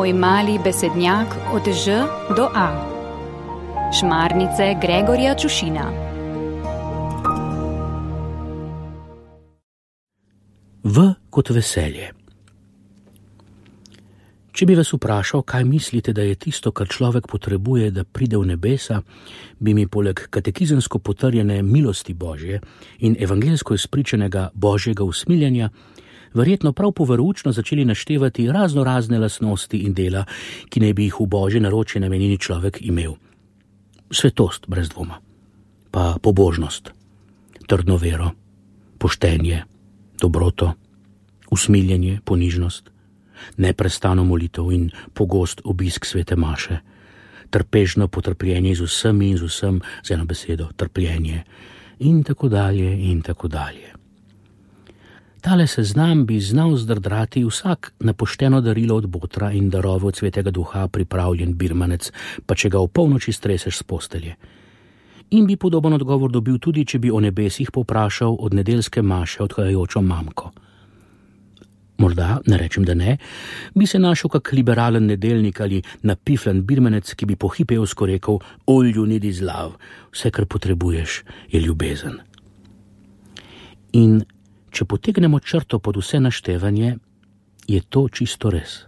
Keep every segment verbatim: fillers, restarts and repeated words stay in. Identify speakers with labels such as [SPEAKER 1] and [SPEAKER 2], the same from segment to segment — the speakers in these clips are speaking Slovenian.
[SPEAKER 1] Moj mali besednjak od Ž do A. Šmarnice Gregorja Čušina.
[SPEAKER 2] V kot veselje. Če bi vas vprašal, kaj mislite, da je tisto, kar človek potrebuje, da pride v nebesa, bi mi poleg katekizemsko potrjene milosti Božje in evangelsko izpričanega Božjega usmiljenja verjetno prav poveroučno začeli naštevati razno razne lastnosti in dela, ki naj bi jih v Božje naročje namenjeni človek imel. Svetost brez dvoma, pa pobožnost, trdno vero, poštenje, dobroto, usmiljenje, ponižnost, neprestano molitev in pogost obisk svete maše, trpežno potrpljenje z vsemi in z vsem, z eno besedo, trpljenje in tako dalje in tako dalje. Tale seznam bi znal zdrdrati vsak na pošteno darilo od botra in darove od svetega duha pripravljen birmanec, pa če ga v polnoči streseš s postelje. In bi podoben odgovor dobil tudi, če bi o nebesih povprašal od nedeljske maše odhajajočo mamko. Morda, ne rečem, da ne, bi se našel kak liberalen nedeljnik ali napiflen birmanec, ki bi pohipejevsko rekel: all you need is love, vse, kar potrebuješ, je ljubezen. In če potegnemo črto pod vse naštevanje, je to čisto res.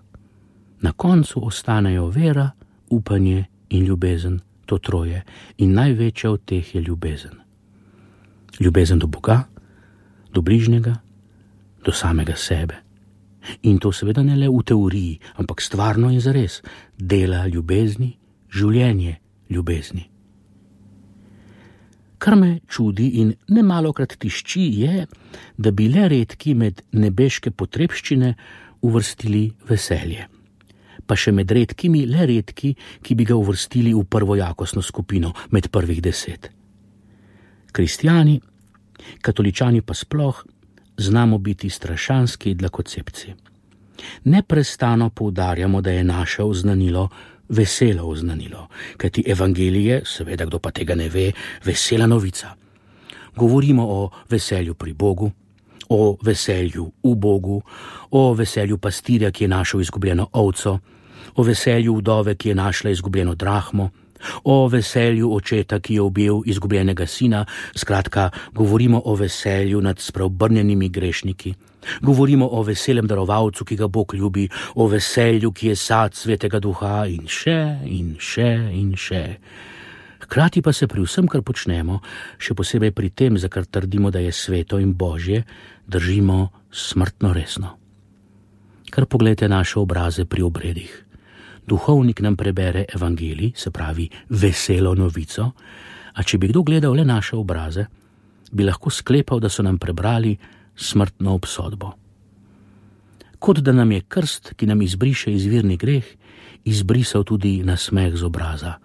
[SPEAKER 2] Na koncu ostanejo vera, upanje in ljubezen, to troje, in največja od teh je ljubezen. Ljubezen do Boga, do bližnjega, do samega sebe. In to seveda ne le v teoriji, ampak stvarno in zares, dela ljubezni, življenje ljubezni. Kar me čudi in nemalokrat tišči je, da bi le redki med nebeške potrebščine uvrstili veselje. Pa še med redkimi le redki, ki bi ga uvrstili v prvojakostno skupino, med prvih deset. Kristjani, katoličani pa sploh, znamo biti strašanski dlakocepci. Neprestano poudarjamo, da je naše oznanilo veselo oznanilo, kajti evangelije, seveda kdo pa tega ne ve, vesela novica. Govorimo o veselju pri Bogu, o veselju v Bogu, o veselju pastirja, ki je našel izgubljeno ovco, o veselju vdove, ki je našla izgubljeno drahmo, o veselju očeta, ki je objel izgubljenega sina. Skratka, govorimo o veselju nad spreobrnjenimi grešniki. Govorimo o veselem darovalcu, ki ga Bog ljubi, o veselju, ki je sad svetega duha in še in še in še. Hkrati pa se pri vsem, kar počnemo, še posebej pri tem, za kar trdimo, da je sveto in Božje, držimo smrtno resno. Kar poglejte naše obraze pri obredih. Duhovnik nam prebere evangelij, se pravi veselo novico, a če bi kdo gledal le naše obraze, bi lahko sklepal, da so nam prebrali smrtno obsodbo. Kot da nam je krst, ki nam izbriše izvirni greh, izbrisal tudi nasmeh z obraza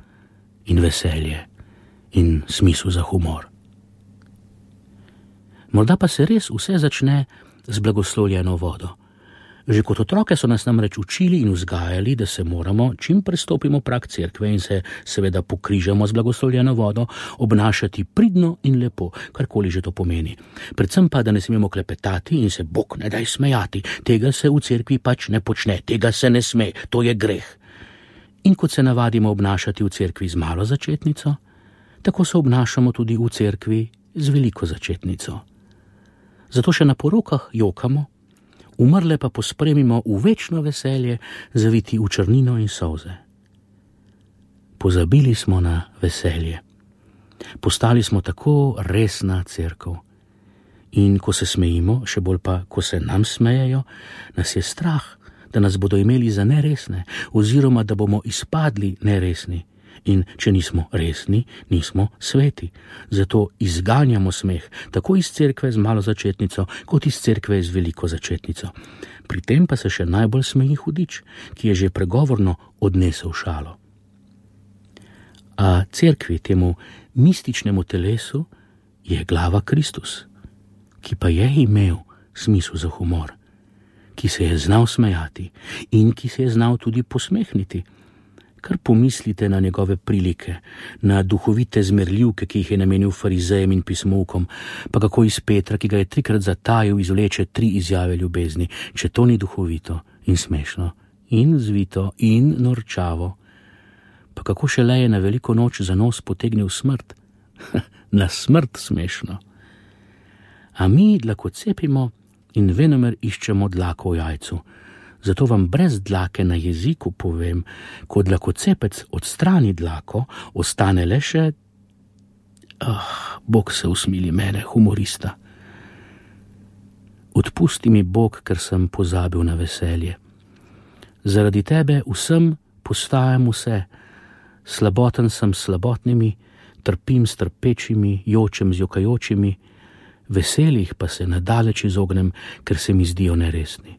[SPEAKER 2] in veselje in smisel za humor. Morda pa se res vse začne z blagoslovljeno vodo. Že kot otroke so nas namreč učili in vzgajali, da se moramo, čim prestopimo prag cerkve in se seveda pokrižamo z blagoslovljeno vodo, obnašati pridno in lepo, karkoli že to pomeni. Predvsem pa, da ne smemo klepetati in se Bog ne daj smejati. Tega se v cerkvi pač ne počne, tega se ne sme, to je greh. In kot se navadimo obnašati v cerkvi z malo začetnico, tako se obnašamo tudi v cerkvi z veliko začetnico. Zato še na porokah jokamo, umrle pa pospremimo v večno veselje, zaviti v črnino in solze. Pozabili smo na veselje. Postali smo tako resna cerkev. In ko se smejimo, še bolj pa, ko se nam smejejo, nas je strah, da nas bodo imeli za neresne, oziroma da bomo izpadli neresni. In če nismo resni, nismo sveti. Zato izganjamo smeh, tako iz cerkve z malo začetnico, kot iz cerkve z veliko začetnico. Pri tem pa se še najbolj smeji hudič, ki je že pregovorno odnesel šalo. A cerkvi, temu mističnemu telesu, je glava Kristus, ki pa je imel smisel za humor, ki se je znal smejati in ki se je znal tudi posmehniti. Kar pomislite na njegove prilike, na duhovite zmerljivke, ki jih je namenil farizejem in pismovkom, pa kako iz Petra, ki ga je trikrat zatajil, izvleče tri izjave ljubezni, če to ni duhovito in smešno in zvito in norčavo. Pa kako šele je na veliko noč za nos potegnil smrt? Na smrt smešno. A mi dlako cepimo in venomer iščemo dlako v jajcu. Zato vam brez dlake na jeziku povem, ko dlakocepec odstrani dlako, ostane le še... Ah, Bog se usmili mene, humorista. Odpusti mi, Bog, ker sem pozabil na veselje. Zaradi tebe vsem postajam vse. Slaboten sem s slabotnimi, trpim s trpečimi, jočem z jokajočimi, veselih pa se nadaleč izognem, ker se mi zdijo neresni.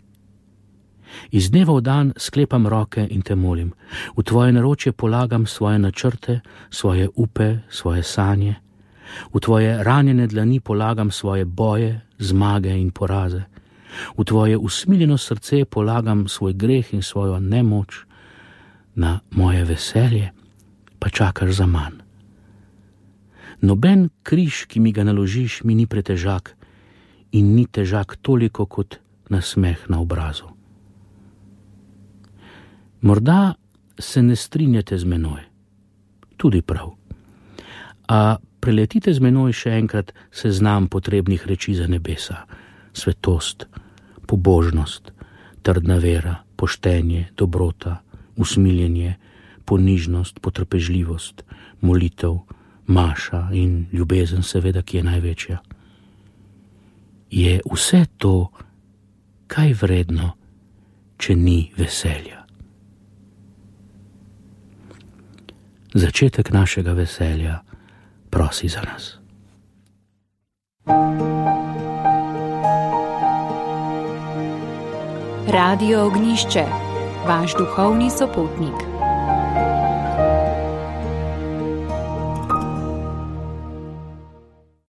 [SPEAKER 2] Iz dneva v dan sklepam roke in te molim. V tvoje naročje polagam svoje načrte, svoje upe, svoje sanje. V tvoje ranjene dlani polagam svoje boje, zmage in poraze. V tvoje usmiljeno srce polagam svoj greh in svojo nemoč. Na moje veselje pa čakaš za manj. Noben križ, ki mi ga naložiš, mi ni pretežak in ni težak toliko kot nasmeh na obrazu. Morda se ne strinjate z menoj, tudi prav. A preletite z menoj še enkrat seznam potrebnih reči za nebesa. Svetost, pobožnost, trdna vera, poštenje, dobrota, usmiljenje, ponižnost, potrpežljivost, molitev, maša in ljubezen seveda, ki je največja. Je vse to kaj vredno, če ni veselja? Začetek našega veselja prosi za nas.
[SPEAKER 1] Radio Ognišče, vaš duhovni sopotnik.